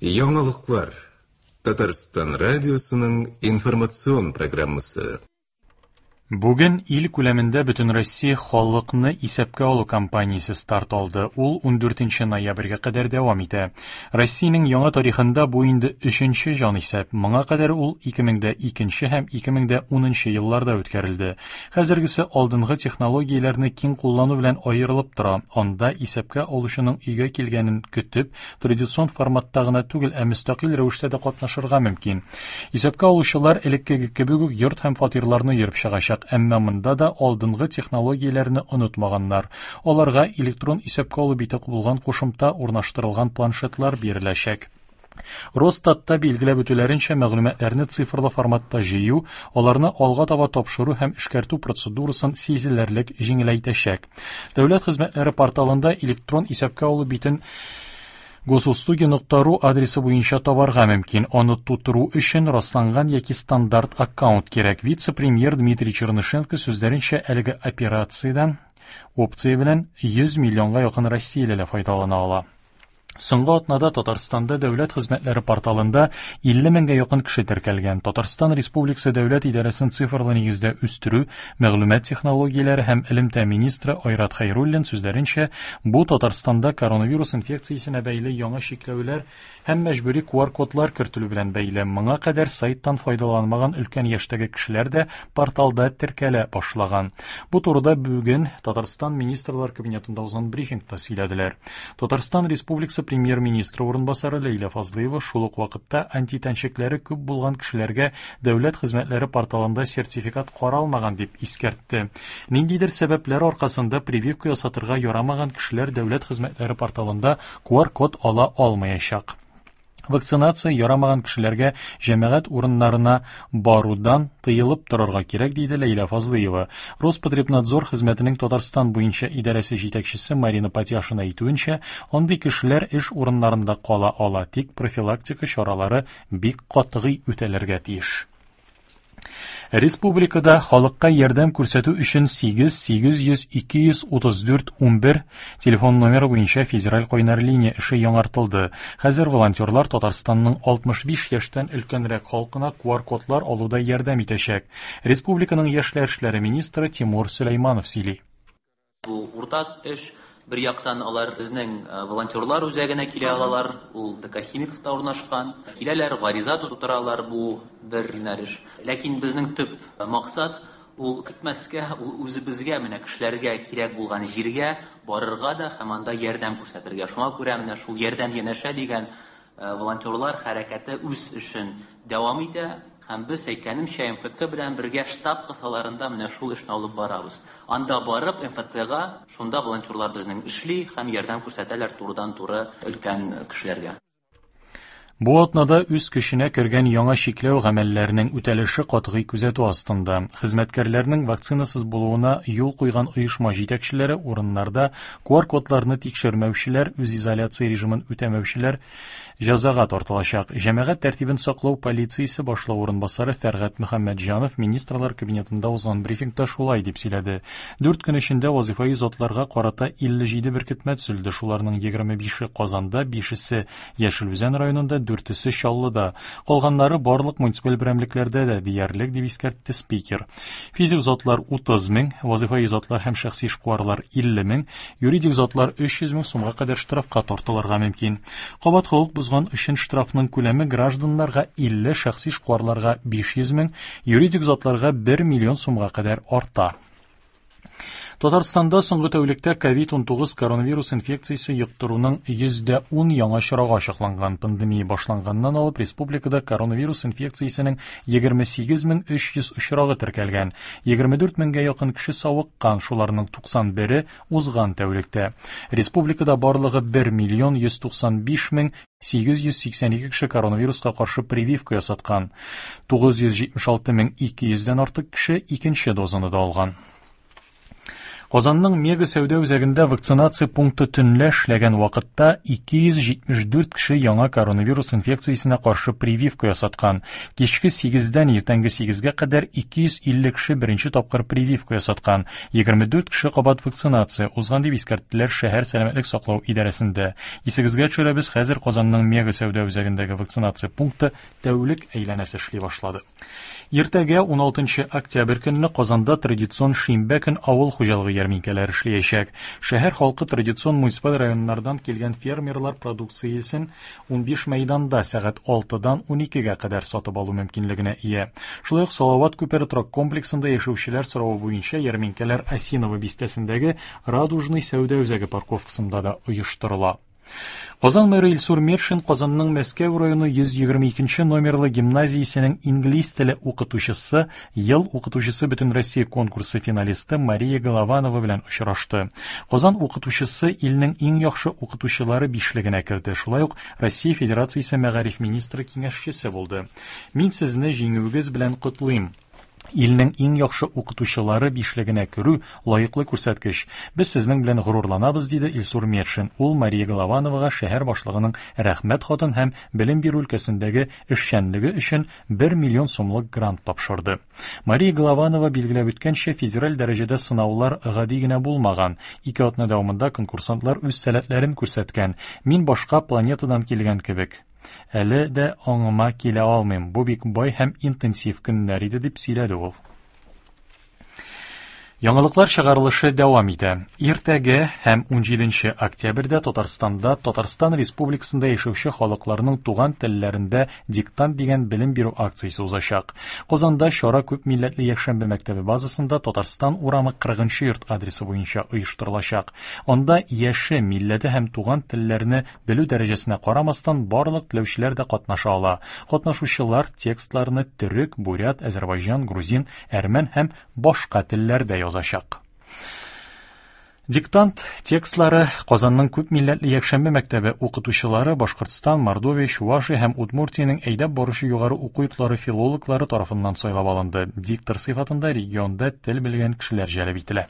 Яңалыклар. Татарстан радиосының информацион программасы. Бүген ил күләмендә Бөтенроссия халыкны исәпкә алу кампаниясе старт алды. Ул 14 ноябрьгә кадәр дәвам итә. Россиянең яңа тарихында бу инде өченче җанисәп. Моңа кадәр ул 2002 һәм 2010 елларда үткәрелде. Хәзергесе алдынгы технологияләрне киң куллану белән аерылып тора. Анда исәпкә алучының өйгә килгәнен көтеп, традицион форматта гына түгел, ә мөстәкыйль рәвештә дә катнашырга мөмкин. Исәпкә алучылар элеккеге кебек үк йорт һәм фатирларны йөреп чыгачак, әмма монда да алдынгы технологияләрне онытмаганнар. Аларга электрон исәпкә алу бите булган кушымта урнаштырылган планшетлар биреләчәк. Росстатта билгеләп үтүләренчә, мәгълүматларны цифрлы форматта җыю, аларны алга таба тапшыру һәм эшкәртү процедурасын сизелерлек җиңеләйтәчәк. Дәүләт хезмәтләре порталында электрон исәпкә алу битен госуслуги.ру адресы буенча табарга мөмкин. Аны тутыру өчен расланган яки стандарт аккаунт кирәк. Вице-премьер Дмитрий Чернышенко сүзләренчә, әлеге операциядән опция белән 100 миллионга якын россиялеләр файдалана ала. Соңгы атнада Татарстанда дәүләт хезмәтләре порталында 50 меңгә якын кеше теркәлгән. Татарстан Республикасы дәүләт идарәсен цифрлы нигездә үстерү, мәгълүмат технологияләре һәм элемтә министры Айрат Хәйруллин сүзләренчә, бу Татарстанда коронавирус инфекциясенә бәйле яңа чикләүләр һәм мәҗбүри QR-кодлар кертелү белән бәйле. Моңа кадәр сайттан файдаланмаган өлкән яшьтәге кешеләр дә порталда теркәлә башлаган. Бу турыда бүген Татарстан Министрлар Кабинетында узган брифингта сөйләделәр. Татарстан Республикасы премьер-министры урынбасары Ләйлә Фазлыева шул ук вакытта антитәнчекләре күп булган кешеләргә дәүләт хезмәтләре порталында сертификат каралмаган дип искәртте. Ниндидер сәбәпләр аркасында прививка ясатырга ярамаган кешеләр дәүләт хезмәтләре порталында QR-код ала алмаячак. Вакцинация ярамаган кешеләргә җәмәгать урыннарына барудан тыелып торырга кирәк, диде Ләйлә Фазлыева. Роспотребнадзор хезмәтенең Татарстан буенча идарәсе җитәкчесе Марина Патяшина әйтүенчә, андый кешеләр эш урыннарында кала ала, тик профилактика чаралары бик катгый үтәлергә тиеш. Республикада халыкка ярдәм күрсәтү өчен 8 800 234 11 телефон номеры буенча федераль кайнар линия эше яңартылды. Хәзер волонтерлар Татарстанның 65 яшьтән өлкәнрәк халкына QR-кодлар алуда ярдәм итәчәк. Республиканың яшьләр эшләре министры Тимур Сөләйманов сөйли. Бу уртак эш. Бер яктан алар безнең волонтерлар үзәгенә килә алалар, ул ДК Химиковта урнашкан. Киләләр, гариза тутыралар, бу бер юнәлеш. Ләкин безнең төп максат ул көтмәскә, ул үзебезгә, менә кешеләргә кирәк булган җиргә барырга да һәм анда ярдәм күрсәтергә. Шуңа күрә менә шул ярдәм янәшә дигән волонтерлар хәрәкәте үз эшен дәвам итә һәм без, әйткәнемчә, МФЦ белән бергә штаб кысаларында менә шул эшне алып барабыз. Анда барып, МФЦга шунда волонтерлар безнең эшли һәм ярдәм күрсәтәләр турыдан-туры өлкән кешеләргә. Бу атнада үз көченә кергән яңа чикләү гамәлләренең үтәлеше катгый күзәтү астында. Хезмәткәрләрнең вакцинасыз булуына юл куйган оешма җитәкчеләре урыннарда QR-кодларны тикшермәүчеләр, үзизоляция режимын үтәмәүчеләр җәзага тартылачак. Җәмәгать тәртибен саклау полициясе башлыгы урынбасары Фәргать Мөхәммәтҗанов Министрлар Кабинетында узган брифингта шулай дип сөйләде. Дүрт көн эчендә вазыйфаи затларга карата 57 беркетмә төзелде, шуларның 25-е Казанда, бишесе Яшел Үзән районында, дүртесе Чаллыда. Калганнары барлык муниципаль берәмлекләрдә дә диярлек, дип искәртте спикер. Физик затлар 30 мең, вазыйфаи затлар һәм шәхси эшкуарлар 50 мең, юридик затлар 300 мең сумга кадәр штрафка тартылырга мөмкин. Кабат хокук бозган өчен штрафның күләме гражданнарга 50, шәхси эшкуарларга 500 мең, юридик затларга 1 миллион сумга кадәр арта. Татарстанда соңгы тәүлектә COVID-19 коронавирус инфекциясе йоктыруның 10% яңа очрагы ачыкланган. Пандемия башланганнан алып республикада коронавирус инфекциясенең 28300 очрагы теркәлгән. 24 меңгә якын кеше савыккан, шуларның 91-е узган тәүлектә. Республикада барлыгы 1 миллион 195 мең 882 кеше коронавируска каршы прививка ясаткан. 976 мең 200 дән артык кеше икенче дозаны да алган. Казанның Мега сәүдә үзәгендә вакцинация пункты төнлә эшләгән вакытта 274 кеше яңа коронавирус инфекциясенә каршы прививка ясаткан. Кичке 8-дән иртәнге 8-гә кадәр 250 кеше беренче тапкыр прививка ясаткан. 24 кеше кабат вакцинация узган дип искәрттеләр шәһәр сәламәтлек саклау идарәсендә. Исегезгә төшерәбез, хәзер Казанның Мега сәүдә үзәгендәге вакцинация пункты тәүлек әйләнәсе эшли башлады. Иртәгә 16 октябрь көнне Казанда традицион шимбә көн авыл хуҗалыгы ярминкәләре эшләячәк. Шәһәр халкы традицион муниципаль районнардан килгән фермерлар продукциясен 15 мәйданда сәгать 6-дан 12-гә кадәр сатып алу мөмкинлегенә ия. Шулай ук Салават күпере торак комплексында яшәүчеләр соравы буенча ярминкәләр Осиново бистәсендәге Радужный сәүдә үзәге парковкасында да оештырыла. Казан мэры Илсур Метшин Казанның Мәскәү районы 122 номерлы гимназиясенең инглиз теле укытучысы, ел укытучысы Бөтенроссия конкурсы финалисты Мария Голованова белән очрашты. Казан укытучысы илнең иң яхшы укытучылары бишлегенә керде. Шулай ук Россия Федерациясе мәгариф министры киңәшчесе булды. Мин сезне җиңүегез белән котлыйм. Илнең иң яхшы укытучылары бишлегенә керү лаеклы күрсәткеч. Без сезнең белән горурланабыз, диде Илсур Метшин. Ул Мария Головановага шәһәр башлыгының рәхмәт хатын һәм белем бирү өлкәсендәге эшчәнлеге өчен 1 миллион сумлык грант тапшырды. Мария Голованова билгеләп үткәнчә, федераль дәрәҗәдә сынаулар гади генә булмаган. Ике атна дәвамында конкурсантлар үз сәләтләрен күрсәткән. Мин башка планетадан килгән кебек. Әле дә аңыма килә алмыйм. Бу бик бай һәм интенсив көннәр иде, дип сөйләде ул. Яңалыклар чыгарылышы дәвам итә. Иртәгә һәм 17 октябрьдә Татарстанда Татарстан Республикасында яшәүче халыкларның туган телләрендә диктант дигән белем бирү акциясе узачак. Казанда чара күп милләтле якшәмбе мәктәбе базасында Татарстан урамы 40 йорт адресы буенча оештырылачак. Анда яше, милләте һәм туган телләрне белү дәрәҗәсенә карамастан барлык теләүчеләр дә катнаша ала. Катнашучылар текстларны төрек, бурят, азәрбайҗан, грузин, әрмән һәм башка телләрдә язачак. Диктант текстлары Казанның күп милләтле якшәмбе мәктәбе укытучылары Башкортстан, Мордовия, Чувашия һәм Удмуртиянең әйдәп баручы югары уку йортлары филологлары тарафыннан сайлап алынды. Диктор сыйфатында регионда тел белгән кешеләр җәлеп ителә.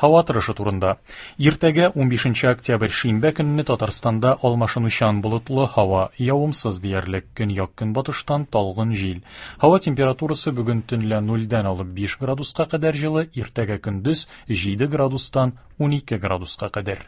Һава торышы турында. Иртәгә 15 октябрь шимбә көнне Татарстанда алмашынучан болытлы һава, явымсыз диярлек, көньяк-көнбатыштан талгын җил. Һава температурасы бүген төнлә 0-дән алып 5 градуска кадәр җылы, иртәгә көндез 7 градустан 12 градуска кадәр.